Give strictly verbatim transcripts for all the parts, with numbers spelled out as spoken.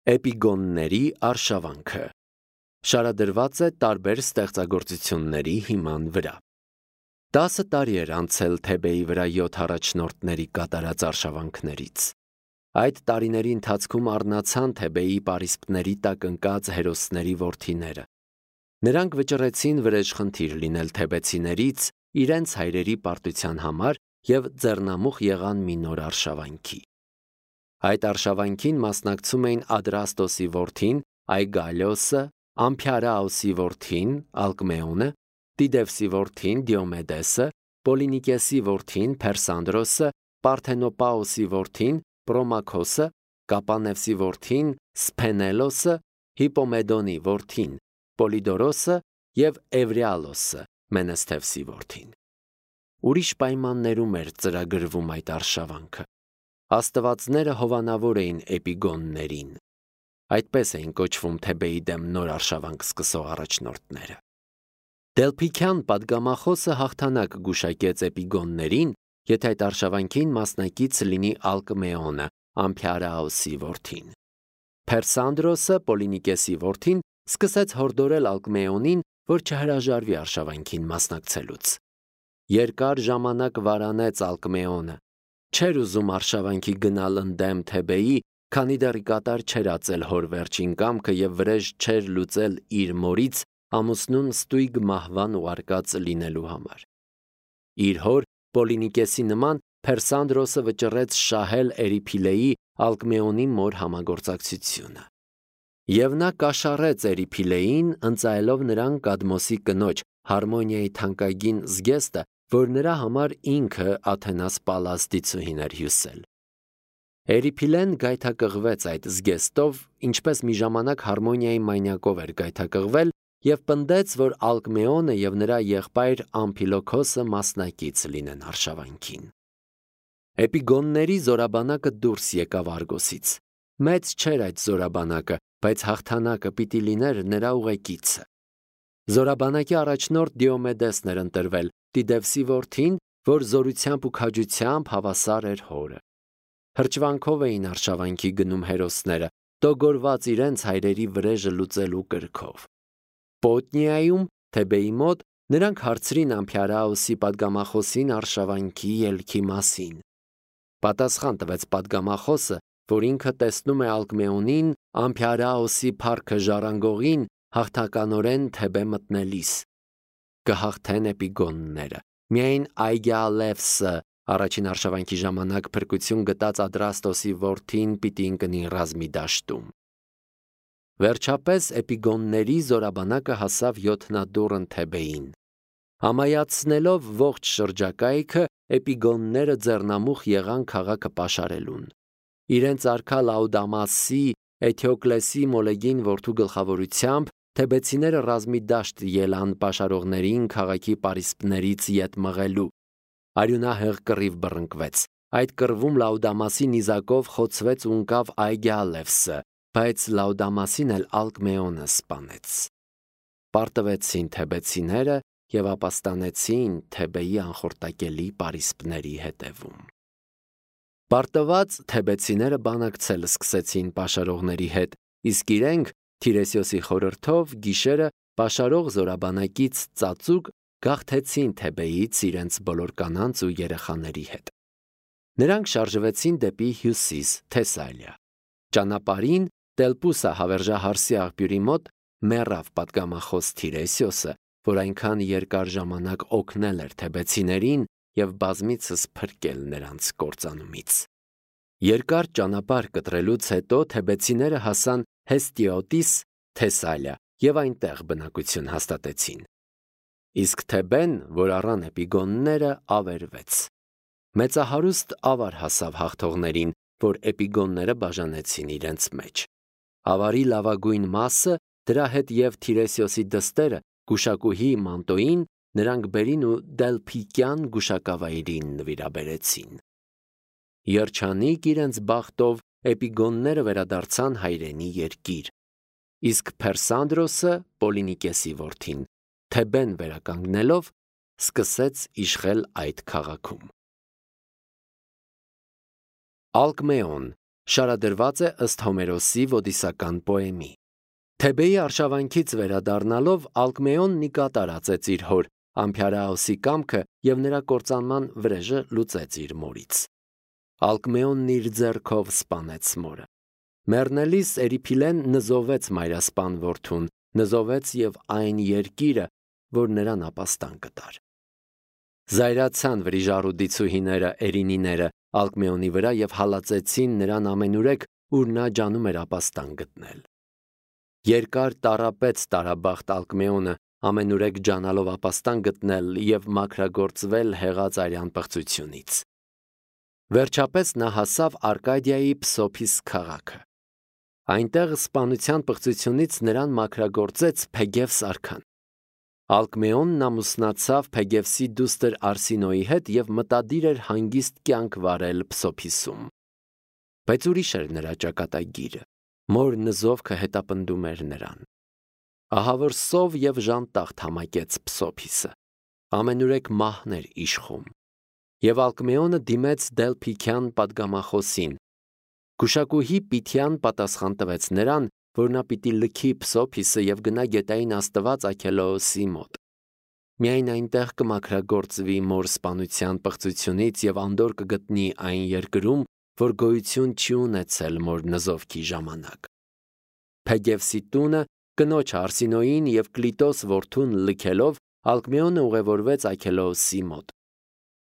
Էպիգոնների արշավանքը շարադրված է տարբեր ստեղծագործությունների հիման վրա։ Տասը տարի էր անցել Թեբեի վրա յոթ առաջնորդների կատարած արշավանքներից։ Այդ տարիների ընթացքում առնացան Թեբեի պարիսպների տակ ընկած հերոսների որդիները։ Նրանք վճռեցին վրեժխնդիր լինել թեբեցիներից իրենց հայրերի պարտության համար և ձեռնամուխ եղան մի նոր արշավանքի։ Այդ արշավանքին մասնակցում էին Ադրաստոսի որդին Այգալիոսը, Ամփիարաոսի որդին Ալկմեոնը, Տիդևսի որդին Դիոմեդեսը, Պոլինիկեսի որդին Փերսանդրոսը, Պարթենոպաոսի որդին Պրոմաքոսը, Կապանևսի որդին Սփենելոսը, Հիպոմեդոնի որդին Պոլիդորոսը և Էվրիալոսը, Մենեսթևսի որդին։ Ուրիշ պայմաններում էր ծրագրվում այդ արշավանքը։ Աստվածները հովանավոր էին էպիգոններին։ Այդպես էին կոչվում Թեբեի դեմ նոր արշավանք սկսող առաջնորդները։ Դելփիքյան պատգամախոսը հաղթանակ գուշակեց էպիգոններին, եթե այդ արշավանքին մասնակից լինի Ալկմեոնը, Ամփիարաոսի որդին։ Փերսանդրոսը, Պոլինիկեսի որդին, սկսեց հորդորել Ալկմեոնին, որ չհրաժարվի արշավանքին մասնակցելուց։ Երկար ժամանակ վարանեց Ալկմեոնը։ Չէր ուզում արշավանքի գնալ ընդդեմ Թեբեի, քանի դեռ կատար չէր ածել հոր վերջին կամքը և վրեժ չէր լուծել իր մորից ամուսնուն ստույգ մահվան ուղարկած լինելու համար։ Իր հոր Պոլինիկեսի նման Փերսանդրոսը վճռեց շահել Էրիփիլեի Ալկմեոնի մոր համագործակցությունը։ Եվ նա կաշառեց Էրիփիլեին, ընծայելով նրան Կադմոսի կնոջ Հարմոնիայի թանկագին զգեստը, որ նրա համար ինքը Աթենաս Պալլաստիցուհին էր հյուսել։ Էրիփիլեն գայթակղվեց այդ զգեստով, ինչպես մի ժամանակ Հարմոնիայի մանյակով էր գայթակղվել, և պնդեց, որ Ալկմեոնը և նրա եղբայր Ամփիլոքոսը մասնակից լինեն արշավանքին։ Էպիգոնների զորաբանակը դուրս եկավ Արգոսից։ Մեծ չէր այդ զորաբանակը, բայց հաղթանակը պիտի լիներ նրա ուղեկիցը։ Զորաբանակի առաջնորդ Դիոմեդեսն էր ընտրվել, Տիդևսի որդին, որ զորությամբ ու քաջությամբ հավասար էր հորը։ Հրճվանքով էին արշավանքի գնում հերոսները, տոգորված իրենց հայրերի վրեժը լուծելու կրքով։ Պոտնիայում, Թեբեի մոտ, նրանք հարցրին Ամփիարաոսի պատգամախոսին արշավանքի ելքի մասին։ Պատասխան տվեց պատգամախոսը, որ ինքը տեսնում է Ալկմեոնին, Ամփիարաոսի փառքը ժառանգողին, հաղթականորեն Թեբե մտնելիս։ Կհաղթեն էպիգոնները։ Միայն Այգալևսը առաջին արշավանքի ժամանակ փրկություն գտած Ադրաստոսի որդին պիտի ընկնի ռազմի դաշտում։ Վերջապես էպիգոնների զորաբանակը հասավ յոթնադուռն Թեբեին։ Համայացնելով ողջ շրջակայքը, էպիգոնները ձեռնամուխ եղան քաղաքը պաշարելուն։ Իրենց արքա Լաուդամասի, Էթիոկլեսի Մոլեգին որդու գլխավորությամբ թեբեցիները ռազմի դաշտ ելան պաշարողներին քաղաքի պարիսպներից ետ մղելու։ Արյունահեղ կռիվ բռնկվեց։ Այդ կռվում Լաուդամասի նիզակով խոցվեց ու ընկավ Այգալևսը, բայց Լաուդամասին էլ Ալկմեոնը սպանեց։ Պարտվեցին թեբեցիները և ապաստանեցին Թեբեի անխորտակելի պարիսպների հետևում։ Պարտված թեբեցիները բանակցել սկսեցին պաշարողների հետ, իսկ իրենք Թիրեսիոսի խորհրդով գիշերը պաշարող զորաբանակից ծածուկ գաղթեցին Թեբեից իրենց բոլոր կանանց ու երեխաների հետ։ Նրանք շարժվեցին դեպի հյուսիս, Թեսալիա։ Ճանապարհին Տելպուսա հավերժահարսի աղբյուրի մոտ մեռավ պատգամախոս Թիրեսիոսը, որ այնքան երկար ժամանակ օգնել էր թեբեցիներին և բազմիցս փրկել նրանց կործանումից։ Երկար ճանապարհ կտրելուց հետո թեբեցիները հասան Հեստիոտիս, Թեսալիա և այնտեղ բնակություն հաստատեցին։ Իսկ Թեբեն, որ առան էպիգոնները, ավերվեց։ Մեծահարուստ ավար հասավ հաղթողներին, որ էպիգոնները բաժանեցին իրենց մեջ։ Ավարի լավագույն մասը, դրա հետ և Թիրեսիոսի դստերը, գուշակուհի Մանտոին, նրանք բերին ու Դելփիկյան գուշակավայրին նվիրաբերեցին։ Երջանիկ իրենց բախտով էպիգոնները վերադարձան հայրենի երկիր։ Իսկ Փերսանդրոսը, Պոլինիկեսի որդին, Թեբեն վերականգնելով, սկսեց իշխել այդ քաղաքում։ Ալկմեոն, շարադրված է ըստ Հոմերոսի ոդիսական պոեմի։ Թեբեի արշավանքից վերադառնալով Ալկմեոնն ի կատար ածեց իր հոր Ամփիարաոսի կամքը և նրա կործանման վրեժը լուծեց իր մորից։ Ալկմեոնն իր ձեռքով սպանեց մորը։ Մեռնելիս Էրիփիլեն նզովեց մայրասպան որդուն, նզովեց և այն երկիրը, որ նրան ապաստան կտար։ Զայրացան վրիժառուդիցուհիները, էրինիները Ալկմեոնի վրա և հալածեցին նրան ամենուրեք, ուր նա ջանում էր ապաստան գտնել։ Երկար տառապեց տարաբախտ Ալկմեոնը, ամենուրեք ջանալով ապաստան գտնել և մաքրագործվել հեղած արյան պղծությունից։ Վերջապես նա հասավ Արկադիայի Փսոփիս քաղաքը։ Այնտեղ սպանության պղծությունից նրան մաքրագործեց Փեգևս արքան։ Ալկմեոնն ամուսնացավ Փեգևսի դուստր Արսինոյի հետ և մտադիր էր հանգիստ կյանք վարել Փսոփիսում։ Բայց ուրիշ էր նրա ճակատագիրը, մոր նզովքը հետապնդում էր նրան։ Ահա որ սով և ժանտախտ համակեց Փսոփիսը, ամենուրեք մահն էր իշխում, և Ալկմեոնը դիմեց Դելփիքյան պատգամախոսին։ Գուշակուհի Պիթիան պատասխան տվեց նրան, որ նա պիտի լքի Փսոփիսը և գնա գետային աստված Աքելոոսի մոտ։ Միայն այնտեղ կմաքրագործվի մոր սպանության պղծությունից և անդորր կգտնի այն երկրում, որ գոյություն չի ունեցել մոր նզովքի ժամանակ։ Փեգևսի տունը կնոջ Արսինոյին և Կլիտոս որդուն լքելով Ալկմեոնը ուղևորվեց Աքելոոսի մոտ։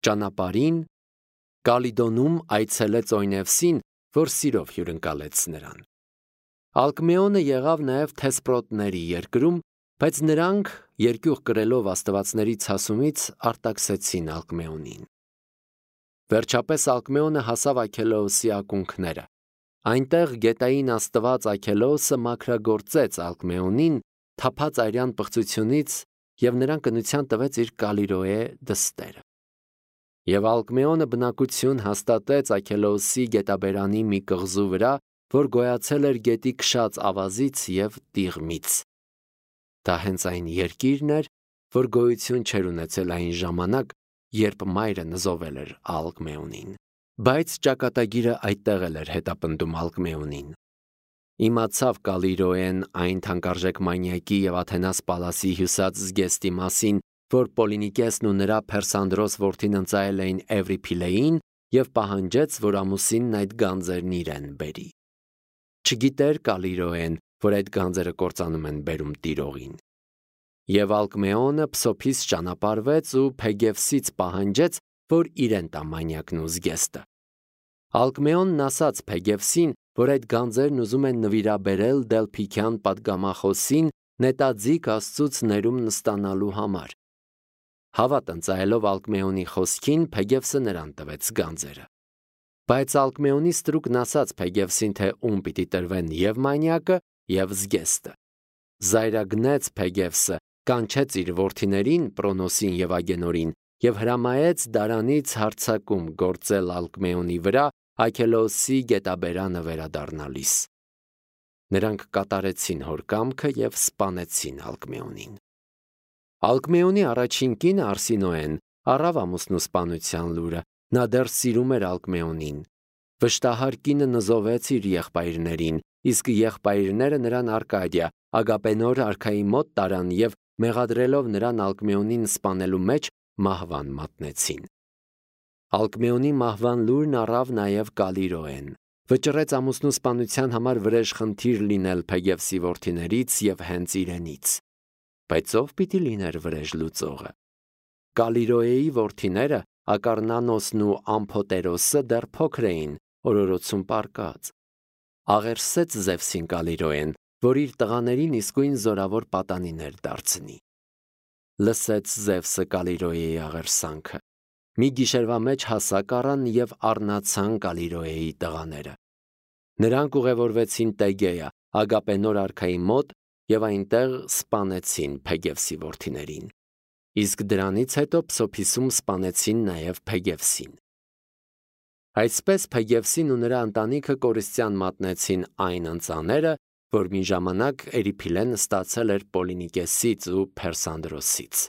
Ճանապարհին Կալիդոնում այցելեց Օյնևսին, որ սիրով հյուրընկալեց նրան։ Ալկմեոնը եղավ նաև Թեսպրոտների երկրում, բայց նրանք երկյուղ կրելով աստվածների ցասումից արտաքսեցին Ալկմեոնին։ Վերջապես Ալկմեոնը հասավ Աքելոոսի ակունքները։ Այնտեղ գետային աստված Աքելոոսը մաքրագործեց Ալկմեոնին թափած արյան պղծությունից և նրան կնության տվեց իր Կալիրոե դստերը։ Եվ Ալկմեոնը բնակություն հաստատեց Աքելոոսի գետաբերանի մի կղզու վրա, որ գոյացել էր գետի քշած ավազից և տիղմից։ Դա հենց այն երկիրն էր, որ գոյություն չէր ունեցել այն ժամանակ, երբ մայրը նզովել էր Ալկմեոնին։ Բայց ճակատագիրը այդտեղ էլ էր հետապնդում Ալկմեոնին։ Իմացավ Կալիրոեն այն թանկարժեք մանյակի և Աթենաս Պալասի հյուսած զգեստի մասին, որ Պոլինիկեսն ու նրա Փերսանդրոս որդին ընծայել էին Էվրիփիլեին և պահանջեց, որ ամուսինն այդ գանձերն իրեն բերի։ Չգիտեր Կալիրոեն, որ այդ գանձերը կործանում են բերում տիրողին։ Եվ Ալկմեոնը Փսոփիս ճանապարհվեց ու Փեգևսից պահանջեց, որ իրեն տա մանյակն ու զգեստը։ Ալկմեոնն ասաց Փեգևսին, որ այդ գանձերն ուզում են նվիրաբերել Դելփիքյան պատգամախոսին նետաձիգ Աստծուց ներումն ստանալու համար։ Հավատ ընծայելով Ալկմեոնի խոսքին, Փեգևսը նրան տվեց գանձերը։ Բայց Ալկմեոնի ստրուկն ասաց Փեգևսին, թե ում պիտի տրվեն և մանյակը, և զգեստը։ Զայրագնեց Փեգևսը, կանչեց իր որդիներին Պրոնոսին և Ագենորին և հրամայեց դարանից հարձակում գործել Ալկմեոնի վրա Աքելոոսի գետաբերանը վերադառնալիս։ Նրանք կատարեցին հոր կամքը և սպանեցին Ալկմեոնին։ Ալկմեոնի առաջին կինը Արսինոեն առավ ամուսնու սպանության լուրը, նա դեռ սիրում էր Ալկմեոնին։ Վշտահար կինը նզովեց իր եղբայրներին, իսկ եղբայրները նրան Արկադիա, Ագապենոր արքայի մոտ տարան և մեղադրելով նրան Ալկմեոնին սպանելու մեջ մահվան մատնեցին։ Ալկմեոնի մահվան լուրն առավ նաև Կալիրոեն։ Վճռեց ամուսնու սպանության համար վրեժխնդիր լինել Փեգևսի որդիներից և հենց իրենից։ Բայց ով պիտի լիներ վրեժ լուծողը։ Կալիրոեի որդիները Ակարնանոսն ու Ամփոտերոսը դեռ փոքր էին, օրորոցում պառկած։ Աղերսեց Զևսին Կալիրոեն, որ իր տղաներին իսկույն զորավոր պատանիներ դարձնի։ Լսեց Զևսը Կալիրոեի աղերսանքը։ Մի գիշերվա մեջ հասակ առան և առնացան Կալիրոեի տղաները։ Նրանք ուղևորվեցին Տեգեա, Ագապենոր արքայի մոտ և այնտեղ սպանեցին Փեգևսի որդիներին։ Իսկ դրանից հետո Փսոփիսում սպանեցին նաև Փեգևսին։ Այսպես Փեգևսին ու նրա ընտանիքը կորստյան մատնեցին այն ընծաները, որ մի ժամանակ Էրիփիլեն ստացել էր Պոլինիկեսից ու Փերսանդրոսից։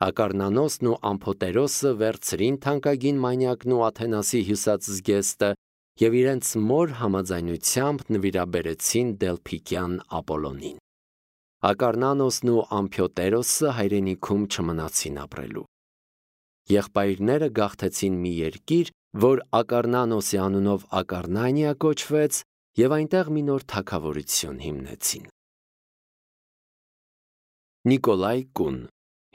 Ակարնանոսն ու Ամփոտերոսը վերցրին թանկագին մանյակն ու Աթենասի հյուսած զգեստը և իրենց մոր համաձայնությամբ նվիրաբերեցին Դելփիկյան Ապոլոնին։ Ակառնանոսն ու Ամփիոտերոսը հայրենիքում չմնացին ապրելու։ Եղբայրները գաղթեցին մի երկիր, որ Ակառնանոսի անունով Ակառնանիա կոչվեց, և այնտեղ մի նոր թագավորություն հիմնեցին։ Նիկոլայ Կուն,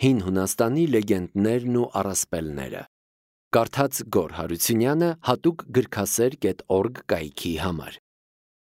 Հին Հունաստանի լեգենդներն ու առասպելները։ Կարդաց Գոռ Հարությունյանը հատուկ գրքասեր կետ օրգ կայքի համար։